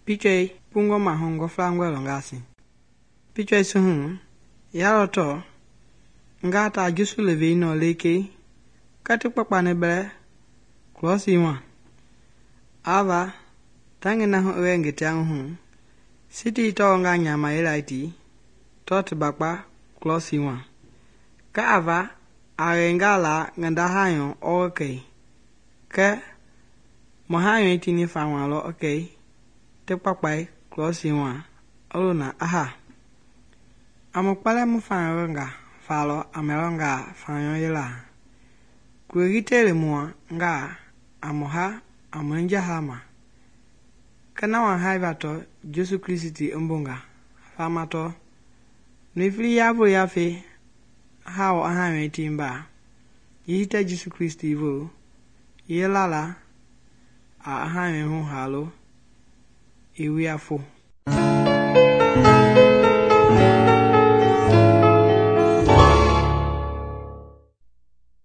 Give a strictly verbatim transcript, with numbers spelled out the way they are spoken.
Picture pungo mahongo flangwe longasi. Picture suhu ya to ngata jusu levi no leke kati papa ne bre klosi wa ava tangi na ho wenge tiang hu siti to nga nyama elaiti tot bakpa klosi wa ka ava arengala nganda hayo okay ke mohayo tini famalo okay te papai klosi wa oluna aha amokpala mu fanga falo amelonga fanyo yela kuigitele mua nga amoha amonja hama kana wa haivato Jesu Kristi mbunga famato nifli yabo yafe hao ahame timba yita Jesu Kristi vo yelala a ahame hu halo iwiafo